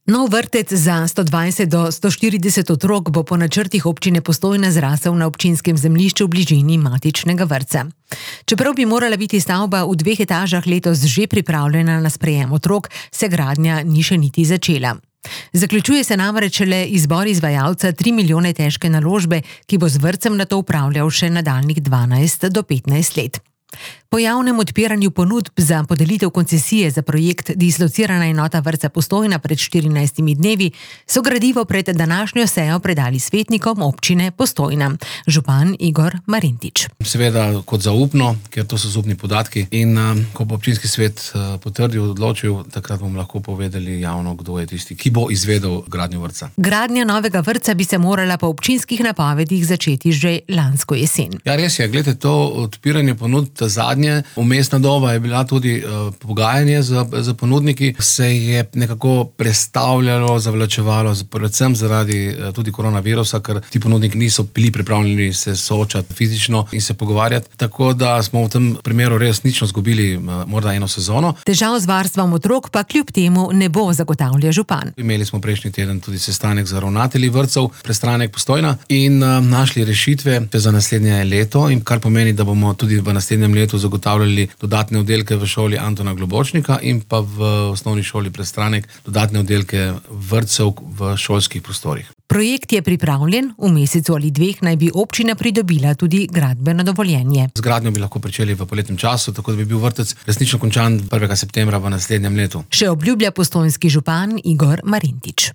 Nov vrtec za 120 do 140 otrok bo po načrtih občine Postojna zrasel na občinskem zemljišču v bližini matičnega vrtca. Čeprav bi morala biti stavba v 2 etažah letos že pripravljena na sprejem otrok, se gradnja ni še niti začela. Zaključuje se namreč le izbor izvajalca 3 milijone težke naložbe, ki bo z vrtcem nato upravljal še nadaljnjih 12 do 15 let. Po javnem odpiranju ponudb za podelitev koncesije za projekt Dislocirana enota vrtca Postojna pred 14 dnevi so gradivo pred današnjo sejo predali svetnikom občine Postojna. Župan Igor Marintič. Seveda kot zaupno, ker to so zaupni podatki in ko bo občinski svet potrdil, odločil, takrat bomo lahko povedali javno, kdo je tisti, ki bo izvedel gradnjo vrtca. Gradnja novega vrtca bi se morala po občinskih napovedih začeti že lansko jesen. Ja, res je, glede to odpiranje ponudb, zadnje umestna doba je bila tudi pogajanje z ponudniki, se je nekako prestavljalo, zavlačevalo, predvsem zaradi tudi koronavirusa, ker ti ponudniki niso bili pripravljeni se soočati fizično in se pogovarjati, tako da smo v tem primeru resnično izgubili morda eno sezono. Težav z varstvom otrok pa kljub temu ne bo, zagotavlja župan. Imeli smo prejšnji teden tudi sestanek z ravnatelji vrtcev Prestranek Postojna in našli rešitve za naslednje leto, in kar pomeni, da bomo tudi v naslednjem letu zagotavljali dodatne oddelke v šoli Antona Globočnika in pa v osnovni šoli Prestranek dodatne oddelke vrtcev v šolskih prostorih. Projekt je pripravljen, v mesecu ali 2 naj bi občina pridobila tudi gradbeno dovoljenje. Z gradnjo bi lahko pričeli v poletnem času, tako da bi bil vrtec resnično končan 1. septembra v naslednjem letu. Še obljublja postojnski župan Igor Marintič.